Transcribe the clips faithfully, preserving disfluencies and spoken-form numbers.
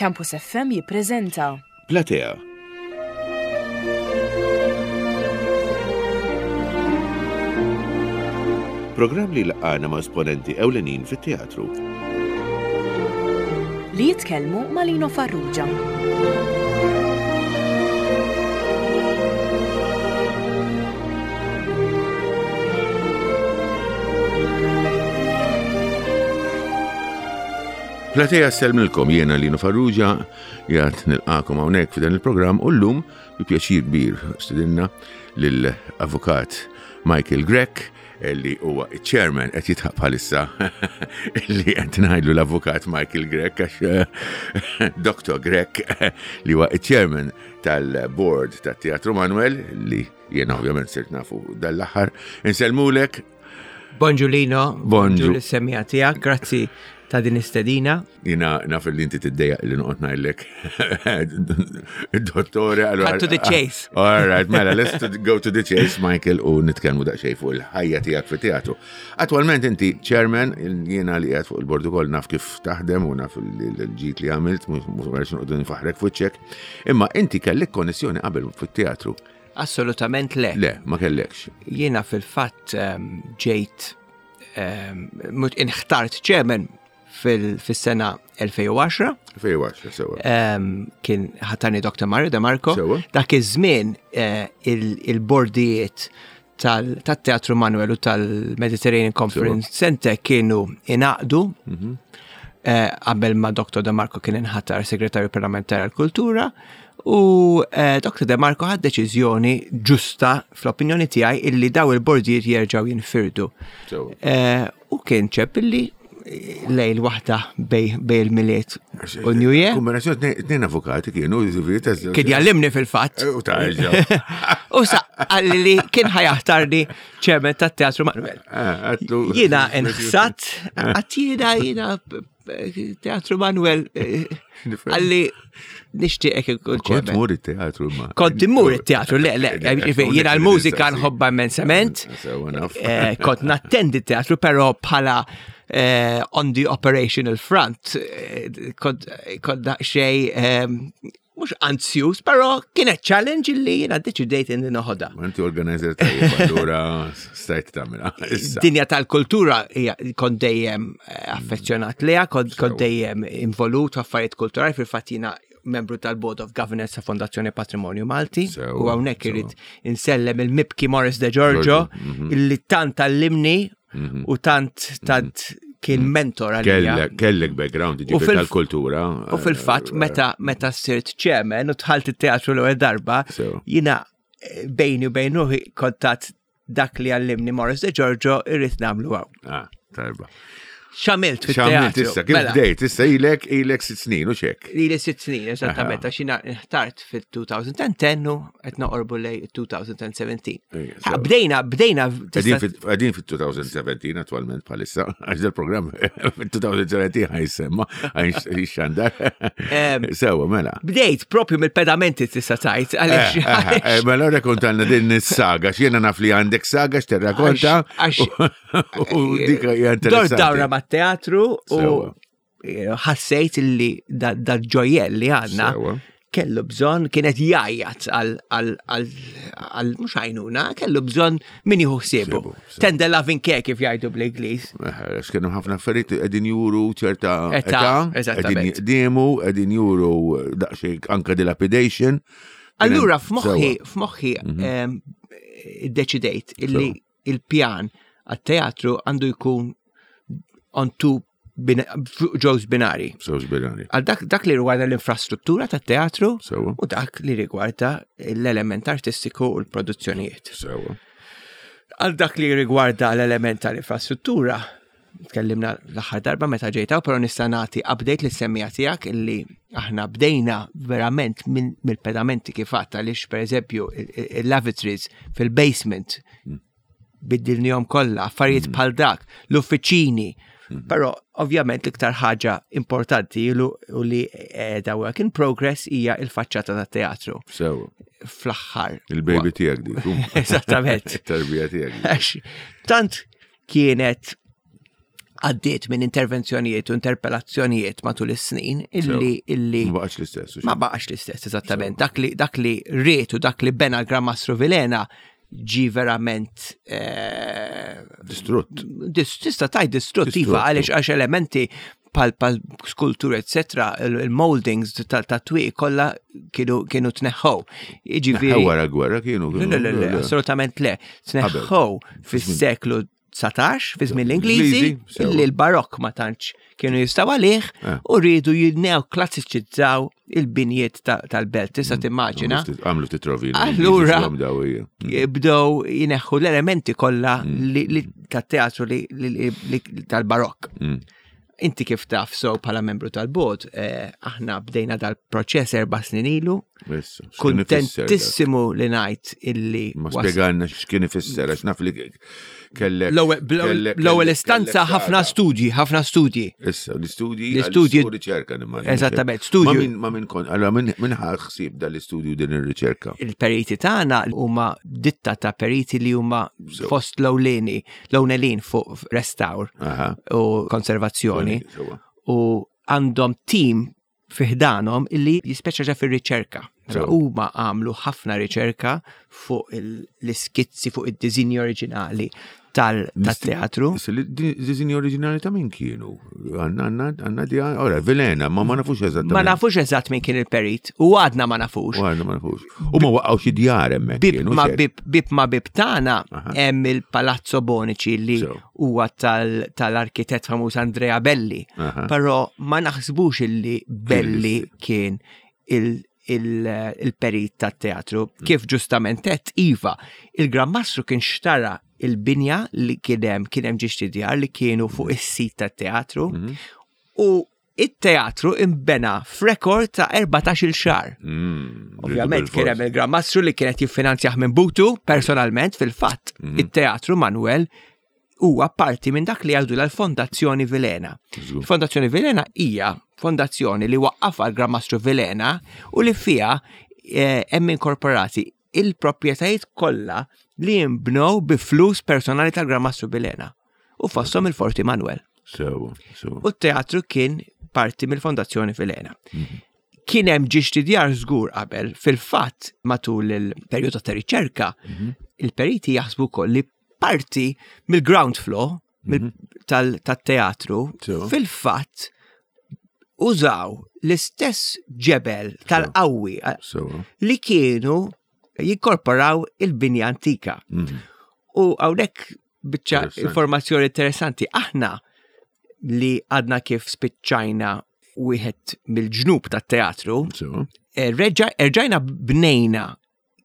Campus F M jippreżenta Platea. Programm li laqana ma' esponenti ewlenin fit-teatru. Li jitkellmu ma' Lino Farrugia. Platea ssellmilkom, jiena Lino Farrugia, jgħat nilqakom hawnhekk f'dan il-programm u llum bi pjaċir kbir stidinna lill-avukat Michael Grech, li huwa chairman, qed jitħab bħalissa li qed ngħidlu l-avukat Michael Grech għax eh, Doctor Grech, li huwa chairman tal-board tat-Teatru Manuel, li jiena ovvjament sirt nafu dal-aħħar. Insellmulek. Bonġu Lino, Bonġu. Bonġu l-semija tiegħek, grazzi ta' din istedina. Jiena naf li inti tiddejjaq li noqgħod ngħidlek dottore. Allora- Cut to the chase. All right, mela, let's to go to the chase, Michael, u nitkellmu daqsxejn fuq il-ħajja tiegħek fit-teatru. Attwalment inti chairman, jiena li qiegħed fuq il-bord ukoll naf kif taħdem u naf il-ġid li għamilt, mhux mhux noqogħdu nfaħrek fuċċek. Imma inti kellek konnessjoni qabel fit-teatru? Assolutament le. Le, ma kellekx. Jiena fil-fatt ehm, ġejt ehm, mut inħtart chairman fil- fis-sena elfejn u għaxra. Fejn għax, sewa. Ehm, kien ħatarni Doctor Mario De Marco. Sewa. Dak iż-żmien eh, il- il-bordijiet tal- tat-Teatru Manuel u tal-Mediterranean Conference Center kienu inaqdu eh, qabel ma Doctor De Marco kien inħatar segretarju parlamentari għal-kultura u eh, Doctor De Marco ħad deċiżjoni ġusta fl-opinjoni tiegħi illi daw il-bordijiet jerġgħu jinfirdu. Sewa. Eh, u kien ċeb illi lejl waħda bej bej il-Milied u New Year. Kombinazzjoni tnejn tnejn avukati kienu, ġifieri, ta' Kien jallimni fil-fatt. U tarġa. U sa għalli li kien ħajaħtarni chairman tat-Teatru Manuel. Ah, għatlu- Jiena nħsat, għat jiena jiena Teatru Manuel eh, għalli nixtieqek ikun Kont chairman. mur it-teatru ma. Kont immur it-teatru, le, le, ġifieri, jiena l-mużika nħobba immensament. Sewa naf. Eh, Kont nattendi teatru, pero bħala eh, on the operational front, eh, kont kont daqsxejn eh, mhux anzjus, pero kienet challenge li jiena deċidejt inni noħodha. Ma inti organizer tajjeb, allura stajt tagħmilha. Issa. Dinja tal-kultura hija kont dejjem eh, affezzjonat liha, kont kont dejjem involut f'affarijiet kulturali, fil-fatt jiena membru tal-Board of Governance ta' Fondazzjoni Patrimonju Malti Sewa, u hawnhekk sewa. irid insellem il-mibki Morris De Giorgio, Giorgio, mhm. illi tant għallimni u tant tant kien mentor għalija. Kellek kellek background U ġifieri fil- tal-kultura. U fil-fatt meta meta sirt chairman u dħalt it-teatru l-ewwel darba, Sewa. jiena eh, bejni u bejn ruħi kontat dak li għallimni Morris De Giorgio irrid nagħmlu hawn. Ah, tajba. X'għamilt X'għamilt fit-teatru? issa, kif Mela, bdejt? Issa ilek ilek sitt snin u xek. Ili sitt snin, eżattament, Aha. għax jiena nħtart fil-elfejn u għaxra u qed noqorbu lej elfejn u sbatax. Ejja, Ha, sewa. Bdejna, bdejna, Qegħdin tista' fit- Qegħdin fit-elfejn u sbatax attualment bħalissa, għax dal-programm fit-elfejn u sbatax ħa jissemma, ħa jixxandar. Em, Sewa, mela. Bdejt propju mill-pedamenti tista' tgħid, għaliex Eh, eh, eh, Mela rrakkontalna din is-saga, x'jiena naf li għandek saga x'terrakonta. Għax- U dik hija Dor interessanti. dawra mat-teatru u Sewa. eh, ħassejt li da ġojjel li għandna Sewa. kellu bżonn, kienet jgħajjat għal għal għal għal mhux għajnuna, kellu bżonn min jieħu ħsiebu. Ħsiebu, sewa. Tender loving care kif jgħidu bl-Ingliż. Eh, Għax kienu ħafna affarijiet qegħdin juru ċerta Età, età, qegħdin eżattament. jiqdiemu, qegħdin juru daqsxejn anka dilapidation. Allura Kien hemm- f'moħħi sewa. f'moħħi em, iddeċidejt illi Sewa. il-pjan għat-teatru għandu jkun on two bin- fuq ġewż binari. Żewġ binari. Għal dak, dak li rigwarda l-infrastruttura tat-teatru Sewa. u dak li rigwarda l-element artistiku u l-produzzjonijiet. Sewa. Għal dak li rigwarda l-element tal-infrastruttura, tkellimna l-aħħar darba meta ġejtaw, però nista' nagħti update lis-semmiegħa tiegħek illi aħna bdejna verament minn mill-pedamenti kif għadt, għaliex pereżempju il-lavatories fil-basement biddilnihom kollha, affarijiet bħal dak, l-uffiċini. Però ovvjament l-iktar ħaġa importanti lu- u li da work in progress hija il-faċċata tat-teatru Sewa. fl-aħħar. Il-baby tiegħek dik. Eżattament. It-tarbija tiegħek. Għax tant kienet Għaddiet minn intervenzjonijiet u interpellazzjonijiet matul is-snin illi illi Ma baqax l-istess. Ma baqax l-istess, eżattament. Dak li dak li ried u dak li bena l-Gran Mastru Vilhena ġi verament eh, Distrutt. dis- tista' tgħid distrutt, Distrutt. iva, għaliex għax elementi pal pal skultur, eccetera, il-moldings ta' twieq kollha kienu kienu tneħħow. Jiġifieri Wara gwerra kienu. Le, le, le, le, assolutament le. Tneħħow fis-seklu dsatax, fi żmien l-Ingliżi, Ingliżi, sewa. illi l-barokk ma tantx kienu jistgħu għalih Eh. u rridu jinneoklassiċizzaw il-binjiet ta- tal-belt. Tista' timmaġina. Għamlu ftit rovina. Allura- Mm. Bdew jneħħu l-elementi kollha li- li tat-teatru li- li- li- tal-barokk. Mm. Inti kif taf so bħala membru tal-bord, eh, aħna bdejna dal-proċess erba' snin ilu. Kuntentissimu li ngħid illi Ma was- spjegalna x'kien ifisser, għax naf li kellek. L-ewwel kellek- l-ewwel kellek- istanza kellek ħafna saga. studji, ħafna studji. Issa, l-istudji. L-istudji- U riċerka nimmaġina. Eżattament, studju. Ma min, ma min kon, allora min, min ħa ħsieb dal-istudju din ir-riċerka? Il-periti tagħna huma ditta ta' periti li huma So. fost l-ewleni, l-ewlenin fuq restawr Aha. u konservazzjoni Sewa. u għandhom team fi ħdanhom illi jispeċjaġa fir-riċerka. Sewa. Huma għamlu ħafna riċerka fuq il- l-iskizzi, fuq id-diżinji oriġinali tal-teatru. Issa, li- di- Diżinji oriġinali ta' min kienu? Għanna, għanna, għanna di, ora, Vilhena, ma ma nafux eżattament. Ma nafux eżatt min kien il-perit u għadna ma nafux. U għadna ma nafux. U ma waqgħu xi djar hemmhekk Bib kienu. ma xejn. bib, bib ma bib tagħna Aha. hemm il Palazzo Bonici li So. huwa tal- tal-arkitett famuż Andrea Belli. Aha. Però ma naħsbux illi Belli kien il- il- il-perit tat-teatru. Mm. Kif ġustament għedt, iva, il-Gran Mastru kien xtara il-binja li kien hemm kien hemm ġiex djar li kienu fuq is-sit tat-teatru Mhm. u it-teatru imbena f'rekord ta' erbatax-il xahar. Mm, Ovvjament bil-fors. kien hemm il-Gran Mastru li kienet jiffinanzjah minn butu personalment. Fil-fatt, Mhm. it-teatru Manuel huwa parti minn dak li jgħidu l-Fondazzjoni Vilhena. Żgur. Fondazzjoni Vilhena hija fondazzjoni li waqqafha l-Gran Mastru Vilhena u li fiha eh, hemm inkorporati il-proprjetajiet kollha li jinbnew bi flus personali tal-Gran Mastru Vilhena u fosthom il-Forti Manuel. Sewa, sewa. U t-teatru kien parti mill-Fondazzjoni Vilhena. Kien hemm ġiex djar żgur qabel, fil-fatt matul il-perjodu ta' riċerka, il-periti jaħsbu wkoll li parti mill-ground floor mill- tal- tat-teatru Sewa. fil-fatt użaw l-istess ġebel tal-qawwi Sewa. li kienu jinkorporaw il-binja antika. Mhm. U hawnhekk biċċa Interessanti. informazzjoni interessanti. Aħna li għadna kif spiċċajna wieħed mill-ġnub tat-teatru, Sewa. eh, reġa- erġajna bnejna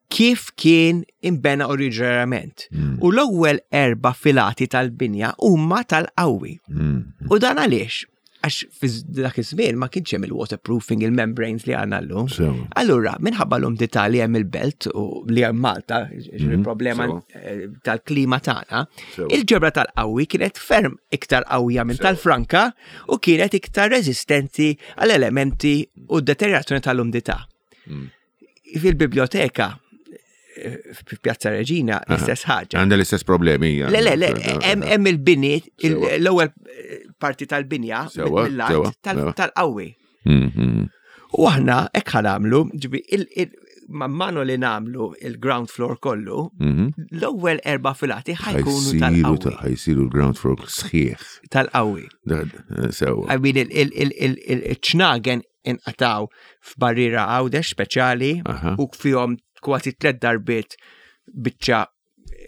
kif kien imbena oriġinarjament. Mm. U l-ewwel erba' filati tal-binja huma tal-qawwi. Mm. U dan għaliex? Għax fi dak iż-żmien ma kienx hemm il-waterproofing, il-membranes li għandna llum. Sewa. Allura, minħabba l-umdità li hemm il-belt u li hemm Malta, il-problema sewa. eh, tal-klima tagħna, Sewa. il-ġebra tal-qawwi kienet ferm iktar qawwija minn Sewa. tal-franka u kienet iktar reżistenti għall elementi u deteriorazzjoni tal-umdità. Mm. Fil-biblioteka eh, f'Pjazza Reġina l-istess ħaġa. Għandha l-istess problemi. hija. Le, le, le, hemm hemm il-bini, il- Sewa. l-ewwel eh, parti tal-binja Sewa, mill-art sewa, tal- sewa. tal-qawwi. Mm, mm. U aħna hekk ħa nagħmlu, ġibi, il- il- man mano li nagħmlu il-ground floor kollu, Mhm. l-ewwel erba' filati ħa jkunu Ħa jsiru tal-qawwi. ta- ħa jsiru l-ground floor sħiħ. Tal-qawwi. Da- eh, Sewa. I mean, il- il- il- il- il- il-ċnagen inqataw f'barriera Għawdex speċjali Aha. u fihom kważi tliet darbiet biċċa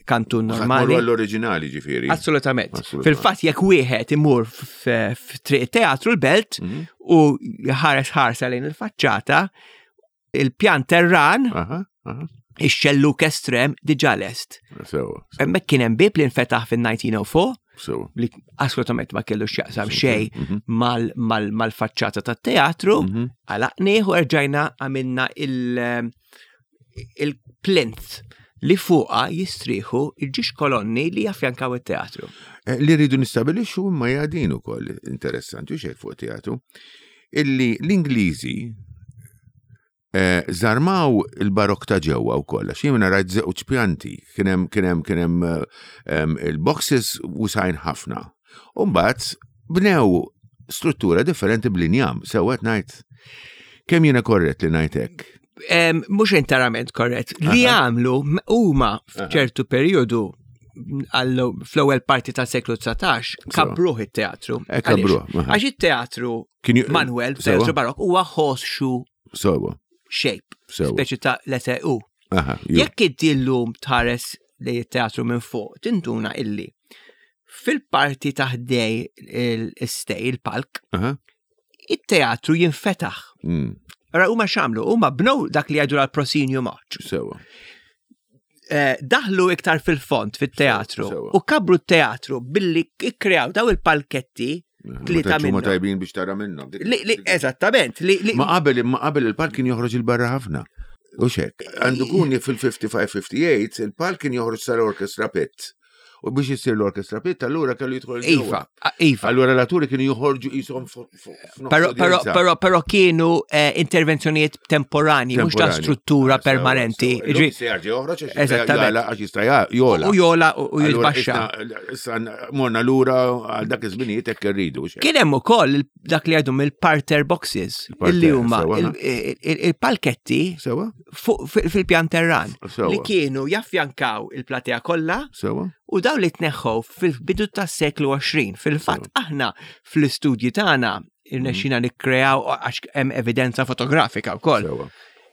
kantun Normali. normali. Għall-oriġinali ġifieri. Assolutament. Assolutament. Fil-fatt jekk wieħed imur f- f'triq teatru l-belt Mhm. u ħares ħarsa lejn il-faċċata, il-pjan terran, Aha, aha. ix-xelluk estrem diġà lest. Sewa, Hemmhekk kien hemm bib li nfetaħ fin-elf disa' mija u erbgħa sewa. li assolutament ma kellu x'jaqsam xejn Mhm. mal- mal- mal-faċċata tat-teatru, Mhm. għalaqnieh u erġajna għamilna il- il-plinth li fuqa jistrieħu il-ġiex kolonni li jaffjankaw it-teatru. Eh, Li rridu nistabilixxu imma jgħadin ukoll interessanti u xejn fuq teatru, illi l-Ingliżi eh, żarmaw il-barok ta' ġewwa wkoll, għax jien rajt żewġ pjanti, kien hemm kien hemm kien hemm eh, em, il-boxes wesgħin ħafna. U mbagħad bnew struttura differenti bl-injam, sewwa ngħid. Kemm jiena korrett li ngħid hekk? Em, Mhux interament korrett. Li għamlu m- huma f'ċertu periodu għallu fl-ewwel parti tas-seklu dsatax kabbruh it-teatru. Eh, kabbruh, Għaliex? aha. Għax it-teatru Kien ju- Manuel, Sewwa. teatru barok, huwa horseshoe Sewwa, shape, sewwa. speċi ta' letter U. Aha, ju. Jekk inti llum tħares li it-teatru minn fuq, tinduna illi fil-parti ta' ħdejn il-stage, il-palk, Aha. it-teatru jinfetaħ. Mm, Ara huma x'għamlu, huma bnew dak li jgħidu l-proscenium arch. Sewwa. Eh, daħlu iktar fil-fond fit-teatru Sewwa. u kabru t-teatru billi ikkreaw daw il-palketti tlieta Ma tantx huma minnhom. tajbin biex tara minnhom. Dik- Li, li, eżattament, li, li, Ma qabel ma qabel il-palk kien joħroġ il-barra ħafna. U xek, għandu kuni fil-ħamsa u ħamsin ħamsa u sebgħin il-palk kien joħroġ sal-orchestra pit. U biex jissir l-orchestra pit, allura kellu jidħol Iva, ġewwa. a- Iva. Allura l-atturi kienu joħorġu jisom Pero, pero, pero, pero kienu eh, intervenzjonijiet temporani, mhux ta' struttura permanenti. Ġi- Ġi, Eżattament. Għax jista' jola. U jola u u Allura, jitbaxxa. issa- Issa morna lura għal dak iż-żminijiet hekk irridu. xek. Kien hemm ukoll il- dak li jgħidu mill-parterre boxes, Il-parterre, illi huma sewwa, il- il- il- il-palketti Sewwa? fuq fil- fil-pjan terran Sewwa. li kienu jaffjankaw il-platea kollha Sewwa? u daw li tneħħu fil-bidu tas-seklu għoxrin. Fil-fatt aħna fl-istudji tagħna irnexxina nikkreaw għax hemm evidenza fotografika wkoll. Sewwa.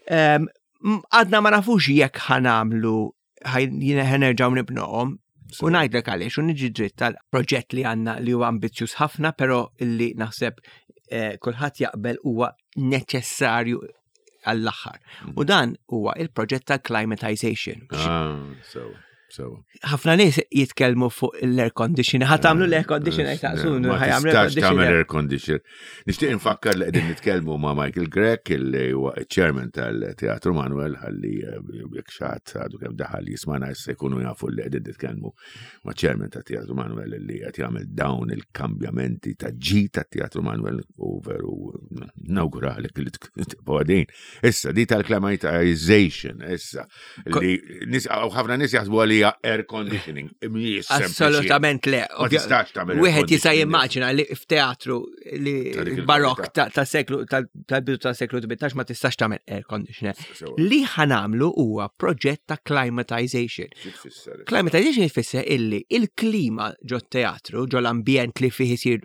Em, m- Għadna ma nafux jekk ħa nagħmlu ħa nerġgħu nibnuhom. U ngħidlek għaliex, u niġi dritt tal-proġett li għandna li huwa ambizzjuż ħafna, però illi naħseb eh, kulħadd jaqbel huwa neċessarju għall-aħħar. U dan huwa il-proġett tal-climatization. Ah, sewwa. Sewwa. Ħafna nies jitkellmu fuq l-air conditioner. Ħa tagħmlu l-air conditioner jtaqsunu, Ma ħa jagħmlu air tistax tagħmel conditioner. air conditioner. Nixtieq infakkar li qegħdin nitkellmu ma' Michael Grech li huwa chairman tal-Teatru Manuel ħalli eh, jekk xi ħadd għadu kemm daħal jismana issa jkunu jafu li qegħdin nitkellmu ma' chairman tat-Teatru Manuel li qed jagħmel dawn il-kambjamenti ta' ġi tat-Teatru Manuel u veru nawguralek li tibqgħu għadin. Issa di tal-climatization issa li nis- ħafna nies jaħsbu għalija air conditioning. Mhijiex sempliċi. Assolutament le. Ma tistax tagħmel air Wieħed jista' conditioning. jimmaġina li f'teatru li Ta' dik barok il-kwalità. ta' ta' seklu tal-bidu ta' seklu tmintax ma tistax tagħmel air conditioner. Sewwa. Li ħa nagħmlu huwa proġett ta' climatization. Xi tfisser? Climatization jfisser illi il-klima ġo teatru, ġo l-ambjent li fih isir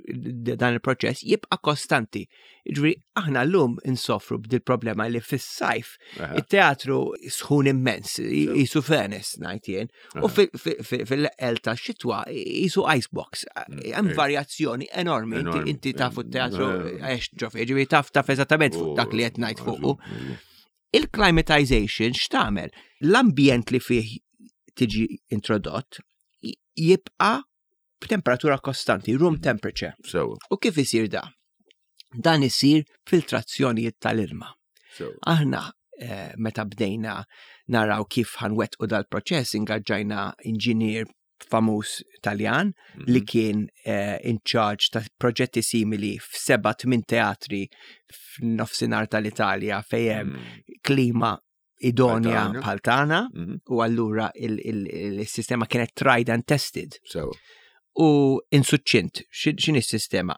dan il-proċess jibqa' kostanti. Ġifieri aħna llum insofru b'dil problema li fis-sajf Aha. it-teatru sħun immens, jisu furnace ngħid jien, u fil-eqqel ta' xitwa jisu icebox. Hemm eh. varjazzjoni enormi. Inti- Enormi. Inti tafu t-teatru Eh. għex ġo fih, ġifieri taf taf eżattament fuq dak li qed ngħid fuqu. Il-climatization x'tagħmel? L-ambjent li fih tiġi introdott j- jibqa' b'temperatura kostanti, room temperature. Sewwa, U kif isir da? Dan isir filtrazzjonijiet tal-ilma. sewwa. Aħna eh, meta bdejna naraw kif ħa nwettqu dal-proċess ingaġġajna inġinier famuż Taljan li kien eh, in charge ta' proġetti simili f'seba' tmien teatri f'nofsinhar tal-Italja fejn hemm Mm. klima idonja Bħal tagħna. bħal tagħna Mhm. u allura il-sistema kienet tried and tested. Sewwa. U insuċċint, x'in is-sistema?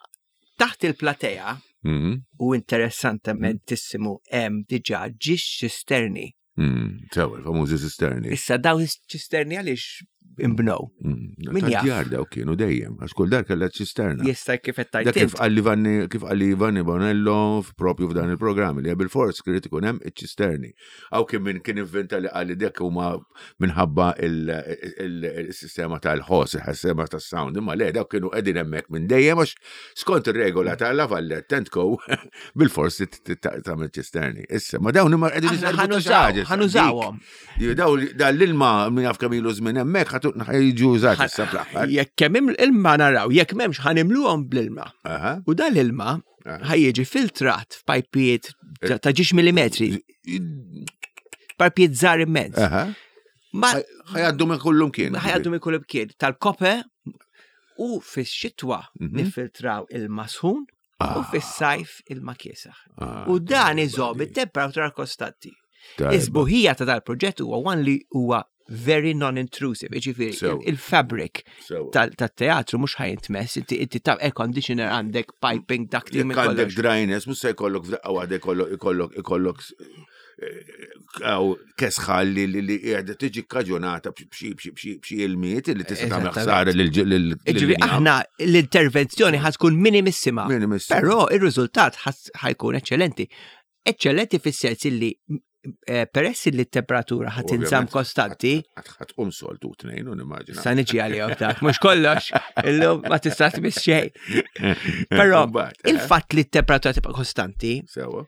Taħt il-platea Mhm. u interessantamentissimo hemm diġà ġiex ċisterni. Mm, Sewwa, il-famużi cisterni. Issa daw ċisterni għaliex imbnow. Mm, Min jaf? Tad-djar daw kienu dejjem, għax kull dar kellha ċisterna. Jista' kif qed Da tajt kif int. qalli Vanni, kif qalli Vanni Bonello propju f'dan il-programm li bil-fors irid ikun hemm iċ-ċisterni. Aw kien min kien inventa li qalli dek huma minħabba il-sistema tal-ħoss, il-sistema tas-sound, imma le dawk kienu qegħdin hemmhekk minn dejjem għax skont ir-regola tal-Lavalette Tent Co bil-fors tagħmel ċisterni. Issa, ma dawn imma qegħdin Aħna jiservu ta' xi ħa nużaw, ħaġa issa, ħa nużawhom. dik. Daw dan l-ilma min jaf kemm ilu żmien hemmhekk ħatu ħajġu użati issa fl-aħħar. Jekk kemm ilma naraw, jekk m'hemmx ħa nimluhom bl-ilma. Aha. U dan l-ilma Aha. ħa jiġi filtrat f'pajpijiet ta' ta' ġiex millimetri, pajpijiet żgħar immens. Aha. Ma Ħa jgħaddu minn kullum kien. ħa jgħaddu minn kull kien tal-kope u fix-xitwa Mhm. nifiltraw ilma sħun u fis-sajf ilma kiesaħ. Ah, U dan tajba iżomm di. it-temperatura kostanti. Tajba. Is-sbuħija ta' dal-proġett huwa one li huwa very non-intrusive, jiġifieri Sew. il-fabric Sew. tal-teatru mhux ħa jintmess, inti inti ta' air conditioner għandek, piping, ducting, Jekk għandek dryness, mhux se jkollok f'daqqa waħda jkollok ikollok ikollok għaw kesħa li li li qiegħda tiġi kkaġunata b'xi b'xi b'xi b'xi ilmijiet li tista' tagħmel ħsara lil lil Jiġifieri aħna l-intervenzjoni ħa tkun minimissima. Minimissima. Però ir-riżultat ħa jkun eċċellenti. Eċċellenti fis-sens illi eh, peress li t-temperatura ħa tinżamm kostanti, Ħa tqum soltu tnejn u nimmaġina. sa niġi għalihom dak, mhux kollox, illum ma tista' tmiss xejn. Però Mbagħad, eh, il-fatt li t-temperatura tibqa' kostanti, Sewa.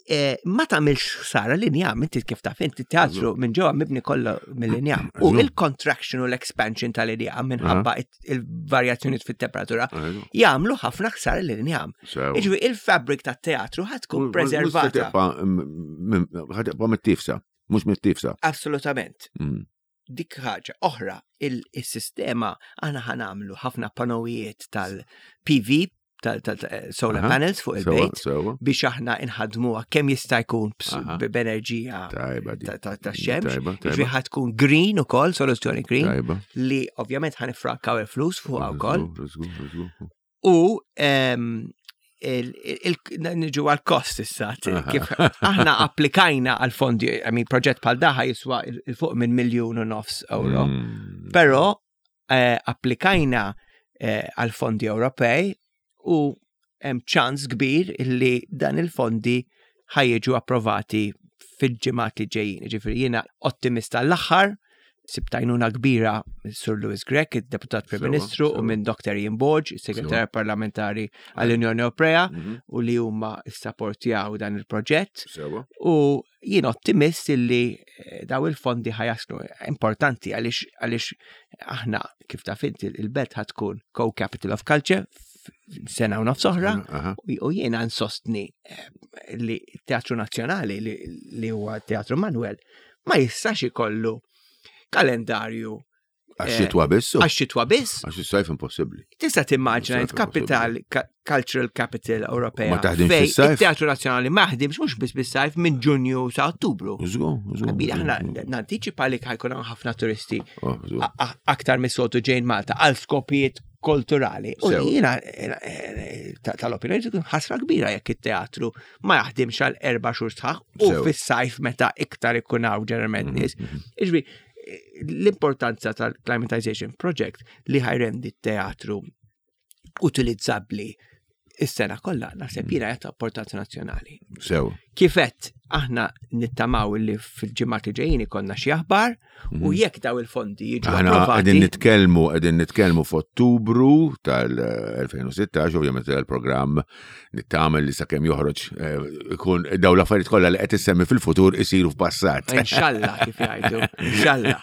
eh, ma tagħmilx ħsara l-injam, inti kif taf inti teatru minn ġewwa mibni kollu mill-injam. U Eżatt. il-contraction u l-expansion tal-injam minħabba il-varjazzjoni fit-temperatura jagħmlu ħafna ħsara l-injam. Sewa. Jiġifieri il-fabric tat-teatru ħa tkun preservata. Ħa tibqa' mittifsa, mhux mittifsa. Assolutament. Mm. Dik ħaġa oħra, il-sistema aħna ħa nagħmlu ħafna panowijiet tal-P V, tal-solar Aha. panels fuq Sewa, il-bejt, sewa. biex aħna inħadmuha kemm jista' jkun bs- Aha. b'enerġija Tajba di. ta' ta' ta' xemx. Tajba, Jiġifieri tajba. ħa tkun green ukoll, soluzzjoni green, Tajba. li ovvjament ħa nifrankaw il-flus fuqha wkoll. Żgur, żgur, żgur. U em, il- il- niġu għal-kost issa, t- Aha. kif aħna applikajna għal-fondi, I mean, proġett bħal dan ħa jiswa 'il fuq minn miljun u nofs euro. Mm. Però eh, applikajna eh, għal-fondi Ewropej u hemm ċans kbir illi dan il-fondi ħa jiġu approvati fil-ġimgħat li ġejjin. Ġifieri jiena ottimista l-aħħar, sibt għajnuna kbira minn Sur Louis Grech, il-Deputat Prim Sewa, Ministru, u sewa. minn Doktor Ian Borg, il-Segretarju Parlamentari għall-Unjoni Ewropea, Mhm. u li huma issapportjaw dan il-proġett. Sewa. U jien ottimist illi eh, daw il-fondi ħa jaslu importanti għaliex għaliex aħna kif taf inti il-belt ħa tkun co-capital of culture f- sena u nofs oħra Aha. u u jiena nsostni eh, li Teatru Nazzjonali li, li huwa Teatru Manuel ma jistax ikollu kalendarju Għax xitwa biss. għax xitwa biss. Għax is-sajf impossibbli. Tista' timmaġina Sajf int capital ka- cultural capital Ewropea. Ma taħdimx fej fis-sajf? Il-Teatru Nazzjonali ma jaħdimx mhux biss bis-sajf minn Ġunju sa Ottubru. Żgur, żgur. Għabili, aħna nantiċipa li ħa jkun hawn ħafna turisti Oh, żgur. a- a- aktar mis-soltu ġejn Malta għal skopijiet kulturali. U Sew. jiena eh, ta- tal-opinjoni tkun ħasra kbira jekk it-teatru ma jaħdimx għal erba' xhur sħaħ u Sew. fis-sajf meta iktar ikun hawn ġeneralment nies. Mhm. Iġbi, l-importanza tal-Climatization Project li ħa jrendi t-teatru utilizzabbli is-sena kollha, naħseb jiena jagħta importanza nazzjonali. Sew. Kifet aħna nittamaw li fil-ġimgħat li ġejjin ikollna xi aħbar u jekk daw il-fondi jiġu Mhm. Aħna approvati. qegħdin nitkellmu qegħdin nitkellmu f'Ottubru tal-elfejn u sittax, ovvjament il-programm nittamel li sakemm joħroġ eh, ikun daw l-affarijiet kollha li qed issemmi fil-futur isiru f'passat. Inxalla kif jgħidu, inxalla.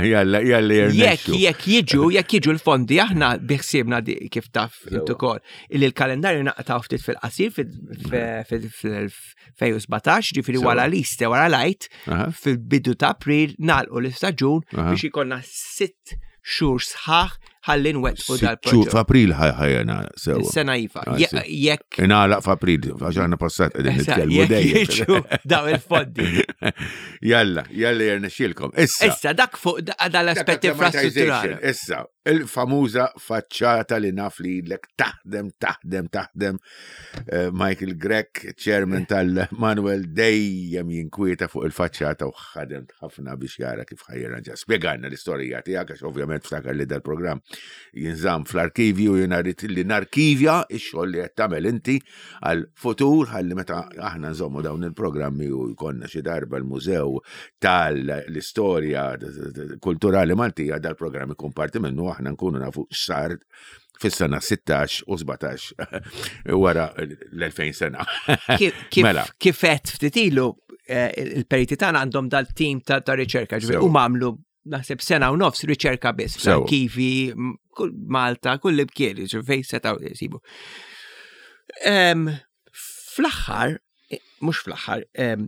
Jalla, jalla Jekk jirnexxu. jekk jiġu, jekk jiġu l-fondi aħna biħsiebna di- kif taf Sewa. int ukoll illi l-kalendarju naqtaw ftit fil-qasir fil-elfejn u sbatax, ġifieri Sewa. wara l-Easter, wara l-Għid, Aha. fil-bidu ta' April nagħlqu l-istaġun Aha. biex ikollna sitt xhur sħaħ ħalli nwettqu Sitt xhur dal-proġett. f'April ħajjena sewa. Is-sena iva. Ah, Je- sì. Jekk Ingħalaq f'April, għax aħna passat qegħdin Issa, nitkellmu jekk dejjem. jiġu daw il-fondi. Jalla, jalla jirnexxielkom. Issa. Issa dak fuq da- dal-aspett infrastrutturali. Issa, il-famuża faċċata li naf li lek taħdem, taħdem, taħdem. Eh, Michael Grech, chairman tal-Manuel, dejjem jinkwieta fuq il-faċċata u ħadem ħafna biex jara kif ħa jirranġa. Spjegalna l-istorija tiegħek għax ovvjament ftakar li dal-programm jinżamm fl-arkivju u jiena rrid li narkivja ix-xogħol li qed tagħmel inti għal-futur ħalli meta aħna nżommu dawn il-programmi u jkollna xi darba l-mużew tal-istorja kulturali Maltija, dal-programm ikun parti minnu, aħna nkunu nafu x'sar fis-sena sittax u sbatax wara l-elfejn sena. Kif- Kif Mela. kif qed ftit ilu eh, il-periti tagħna għandhom dal-tim ta' ta' riċerka, ġifieri Sewa. huma għamlu naħseb sena u nofs riċerka biss Sewa. fl-arkivi, m- kull Malta, kull imkien, ġifieri fejn setgħu jsibu. Em, Fl-aħħar, eh, mhux fl-aħħar, em,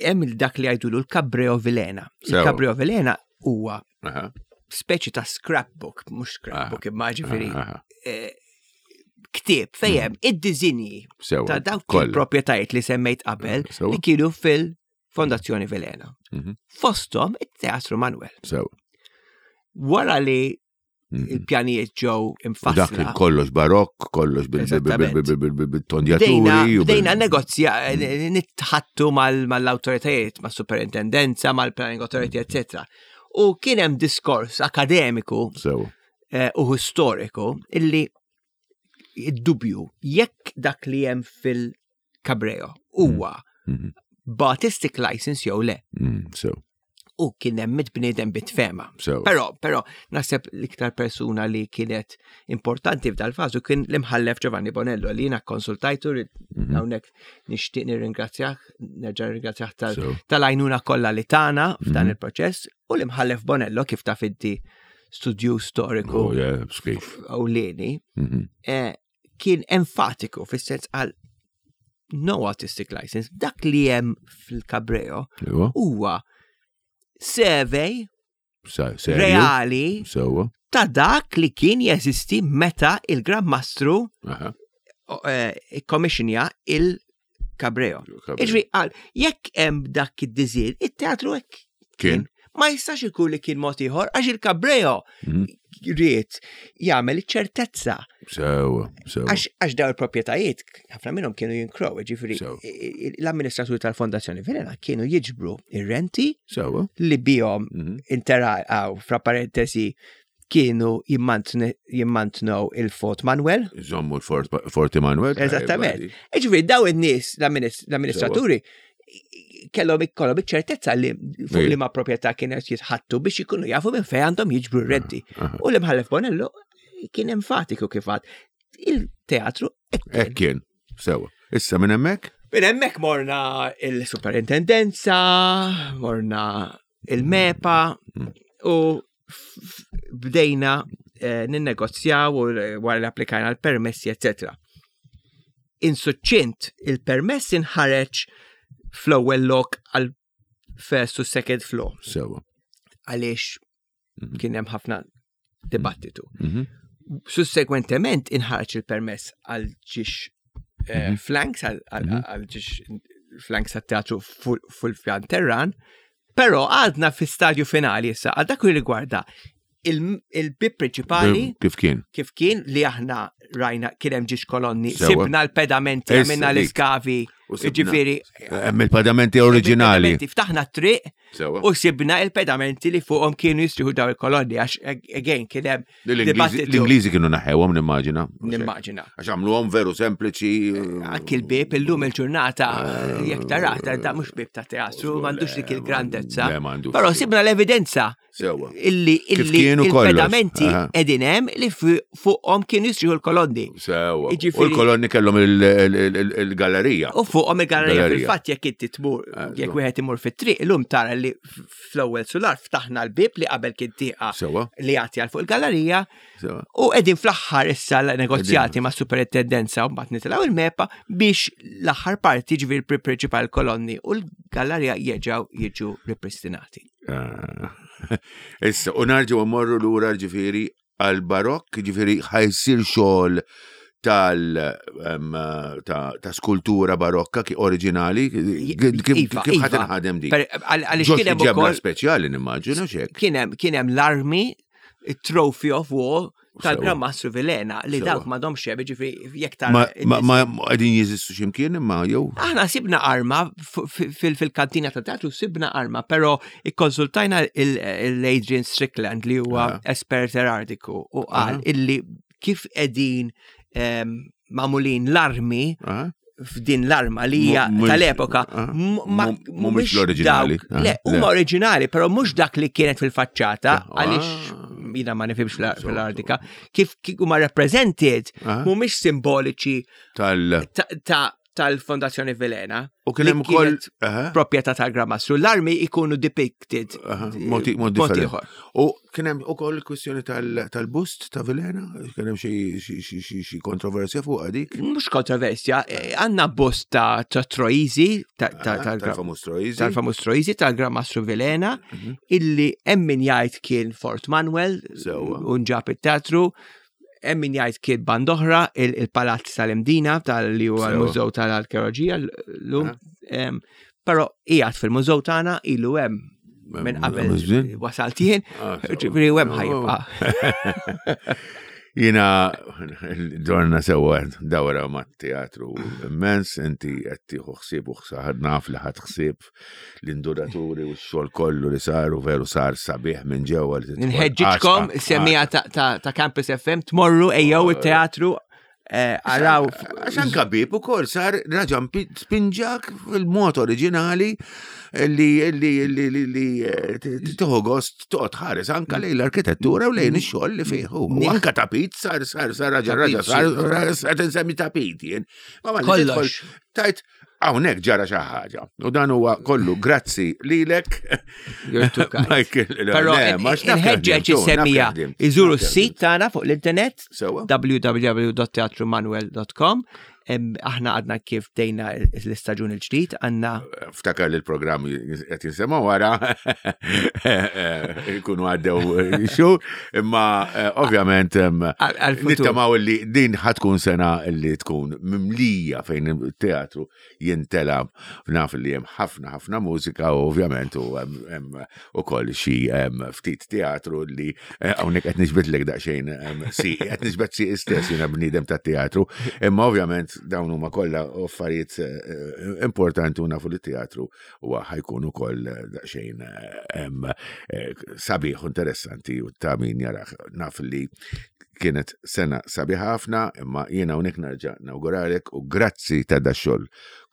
hemm dak li jgħidulu l-Cabreo Vilena. Sewa. Il-Cabreo Vilena huwa Aha, speċi ta' scrapbook, mhux scrapbook imma ġifieri aha, eh, ktieb fejn hemm id-diżinji Sewa. ta' dawk kollha. il-proprjetajiet li semmejt qabel Sewa. li kienu fil Fondazzjoni Vilhena. Mhm. Fosthom it-Teatru Manuel. Sew. Wara li Mhm. il-pjanijiet ġew U Dak imfassla. kien kollox barokk, kollox bil- bil- bil- bil- bil- bil- bil-tondjaturi. Bdejna, u bil- bdejna negozja, nitħattu mal- mal-autoritajiet, mal-superintendenza, mal-planning authority, etc. U kien hemm diskors akademiku Sew. eh, u storiku illi id-dubju jekk dak li hemm fil-Cabreo huwa Mhm. b'artistic license jew le. Mm, Sew. U kien hemm mitt bniedem bit-fema. Sew. Però, però, naħseb l-iktar persuna li kienet importanti f'dal fażu kien l-imħallef Giovanni Bonello li jiena konsultajtu li Mhm. hawnhekk nixtieq nirringrazzjah, nerġa' nirringrazzjah tal- Sew. tal-għajnuna kollha li tana f'dan Mhm. il-proċess u l-imħallef Bonello kif taf inti studju storiku Oh, yeah, skif. ewlieni, Mhm. eh, kien enfatiku fis-sens għal no artistic license, dak li hemm fil-Cabreo Ewa. huwa survey Sa- Serju. reali Sewa. ta' dak li kien jeżisti meta il-Gran Mastru Aha. ikkommissionja il-Cabreo. Iġri, għal, jekk hemm dak id-diżil, it-teatru hekk Kien. Ma jistax ikun li kien mod ieħor għax il-Cabreo Mhm. ried jagħmel iċ-ċertezza Sewa. Sewa. għax għax daw il-proprjetajiet ħafna minnhom kienu jinkrow, ġifieri Sew. i- i- l-amministraturi tal-Fondazzjoni Vilhena kienu jiġbru ir-renti Sewa. li bihom Mhm. intergħaw fra parentesi kienu jimmantne- jimmantnew il-Fort Manuel. Żommu l-Fort Fort Emanuel. Eżattament. Ġifieri daw in-nies l-amminis- l-amministraturi kellhom ikollhom iċ-ċertezza li fuq Ej. li ma proprjetà kienet jitħattu biex ikunu jafu minn fejn għandhom jiġbru r-renti. Aha. U l-imħallef Bonello kien enfatiku kif għad. Il-teatru hekk kien. Hekk kien. Sewa. Issa minn hemmhekk? Minn hemmhekk morna il-superintendenza, morna il-MEPA Mm. u f- f- bdejna eh, ninnegozjaw u eh, wara li applikajna l-permessi, eccetera. Insuċċint il-permess inħareġ fl-ewwel lok għal first u second floor Sewa. għaliex Mhm. kien hemm ħafna dibattitu. Mhm. Sussegwentement inħarġ il-permess għal ġiex eh, Mhm. flanks, għal għal- Mhm. għal ġiex flanks għat-teatru full pjan terran, pero għadna fi stadju finali issa, għal dak li rigwarda il- il-bib prinċipali Kif kien? kif kien li aħna rajna kien hemm ġiex kolonni, Sewa. sibna l-pedamenti, Issa għamilna dik. l-iskavi, U sibna. ġifieri. Hemm il-pedamenti oriġinali. il-pedamenti, Ftaħna t-triq Sewa. u sibna il-pedamenti li fuqhom kienu jistriħu daw il-kolonni għax again kien hemm L-Ingliżi dibattitu. l-Ingliżi kienu naħewhom nimmaġina. Nimmaġina. Għax għamluhom veru sempliċi. Anki l-bib illum il-ġurnata jekk tarata da mhux bib ta' teatru, m'għandux dik il-grandezza. Le, m'għandux. Però sibna l-evidenza Sewa. illi Kif illi kienu kollox. il-pedamenti Aha. qegħdin hemm li fu- fuqhom kienu jistriħu l-kolonni. Sewa. U Jiġifieri- l-kolonni kellhom il- il- il- il-gallerija. U fuqhom il-gallerija Gallerija. fil-fatt jekk inti tmur Ah, jekk żgur. wieħed imur fit-triq illum tara li f- fl-ewwel sular ftaħna l-bib li qabel kien tieqa Sewa. li jagħti għal fuq il-gallerija Sewa. u qegħdin fl-aħħar issa l-negozjati ma' superintendenza u mbagħad nitilgħu il-MEPA biex l-aħħar parti ġifieri il-prinċipal kolonni u l-gallerija jerġgħu jiġu ripristinati. Ah. Issa, u narġu mmorru lura ġifieri għal-barokk, ġifieri ħa jsir xogħol tal em, ta', ta' skultura barokka ki oriġinali, kif kif Iva, kif ħa iva. tinħadem dik? Per- għal- Għaliex Ġo kien hemm ġebla ukoll speċjali nimmaġina xek. kien hemm kien hemm l-armi, it-trophy of war tal-Gran Sewa. Mastru Vilhena li Sewa. dawk m'għadhomx hemm, ġifieri jekk tara Ma ma ma qegħdin jeżistu x'imkien imma jew Aħna sibna arma f- fil- fil-kantina ta' teatru sibna arma, pero ikkonsultajna l-Adrian Strickland li huwa Aha. espert erardiku u qal Aha. illi kif qegħdin em, magħmulin l-armi Ah? f'din l-arma li hija Mu- mhux- tal-epoka ah, m- ma- mu- mhumiex mhumiex l-oriġinali, dawk- ah, Le, le. huma oriġinali, però mhux dak li kienet fil-faċċata Ah. għaliex jiena ma nifhimx fl- So- fl-artika, kif kif huma represented Ah. mhumiex simboliċi Tal ta' ta' tal-Fondazzjoni Vilhena. U kien li hemm ukoll kienet aha, proprjetà tal-Gran Mastru. L-armi ikunu depicted aha, mod mod mod differenti. ieħor. U kien hemm ukoll kwistjoni tal- tal-bust ta' Vilhena, kien hemm xi xi xi xi xi kontroversja fuq dik. Mhux kontroversja, eh, għandna bust ta' ta' Troisi, ta' ta' Ah, tal- Tal-famuż Troisi. tal-famuż Troisi tal-Gran Mastru Vilhena, Mhm. illi hemm min jgħid kien Fort Manuel Sewwa. u nġab it-teatru, hemm min jgħid kien band oħra, il- il-Palazz tal-Imdina tal-li huwa Sewwa. l-Mużew tal-Arkeoloġija llum. Ah. Em, Però qiegħed fil-mużew tagħna, ilu hemm minn qabel wasalt jien, Ah, ġifieri hemm ħa jibqa'. Jiena dorna sewa dawra ma' teatru immens, inti qed tieħu ħsieb u ħsaħad naf li ħadd ħsieb l-induraturi u x-xogħol kollu li saru, veru sar sabiħ minn ġewwa li tidħol Nħeġġiġkom għaxqa- semmiegħa ta- ta' ta' Campus F M tmorru, ejjew it-teatru, eh, araw. Għax anka bib ukoll sar raġa spinġak fil-mod oriġinali li li li li li eh, tieħu gost toqgħod ħares anka lejn l-arkitettura u lejn ix-xogħol li fih. U anka tapit sar sar sar raġa raġa sar sar tinsemmi tapit jien. Ma ma li Kollox. tidħol tajt hawnhekk ġara xi ħaġa. U dan huwa kollu grazzi lilek. You're too kind. Michael, Però le, ma x'naf nħeġġeġ ħdimt, naf is-semmiegħa ħdimt, iżuru naf s-sit ħdimt. tagħna fuq l-internet Sewa. w w w punt teatrumanuel punt com. Aħna għadna kif bdejna l-istaġun il-ġdid, għandna Ftakar li l-programm qed jinsema wara jkunu għaddew xhur, imma eh, ovvjament em, għal-futur. nittamaw li din ħa tkun sena li tkun mimlija fejn il-teatru jintela. Naf li hemm ħafna ħafna mużika u ovvjament u hemm hemm ukoll xi em, ftit teatru li eh, hawnhekk qed niġbidlek daqsxejn em, si qed niġbed si istess, jiena bniedem tat-teatru, imma ovvjament dawn huma kollha affarijiet eh, importanti u nafu li teatru huwa ħa jkun ukoll daqsxejn eh, em, eh, sabiħ u interessanti u ta' min jarah. Naf li kienet sena sabiħ ħafna, imma jiena hawnhekk nerġa' nawguralek u grazzi ta' da xogħol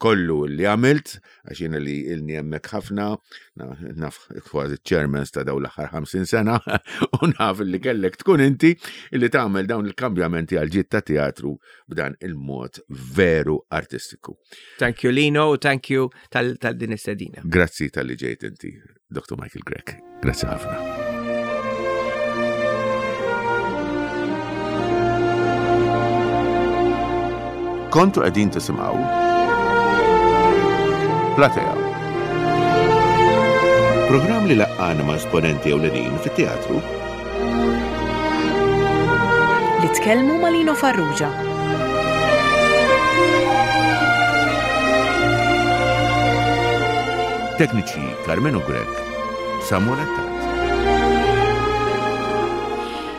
kollu li għamilt, għax jiena li ilni hemmhekk ħafna, na- naf kważi chairmans ta' dawn l-aħħar ħamsin sena, u naf li kellek tkun inti li tagħmel dawn il-kambjamenti għal ġid ta' teatru b'dan il-mod veru artistiku. Thank you, Lino, u thank you tal tal din istedina. Grazzi talli ġejt inti, Doctor Michael Grech. Grazzi ħafna. Kontu qegħdin tisimgħu Platea. Programm li laqqana ma' esponenti ewlenin fit-teatru. Li tkellmu ma' Lino Farrugia. Tekniċi Carmenu Grech, Samuel Attard.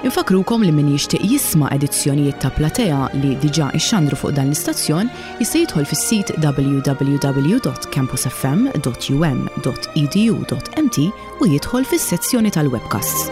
Infakrukom li min jixtieq jisma' edizzjonijiet ta' Platea li diġà ixxandru fuq dan l-istazzjon jista' jidħol fis-sit w w w punt campusfm punt um punt edu punt m t u jidħol fis-sezzjoni tal-webcasts.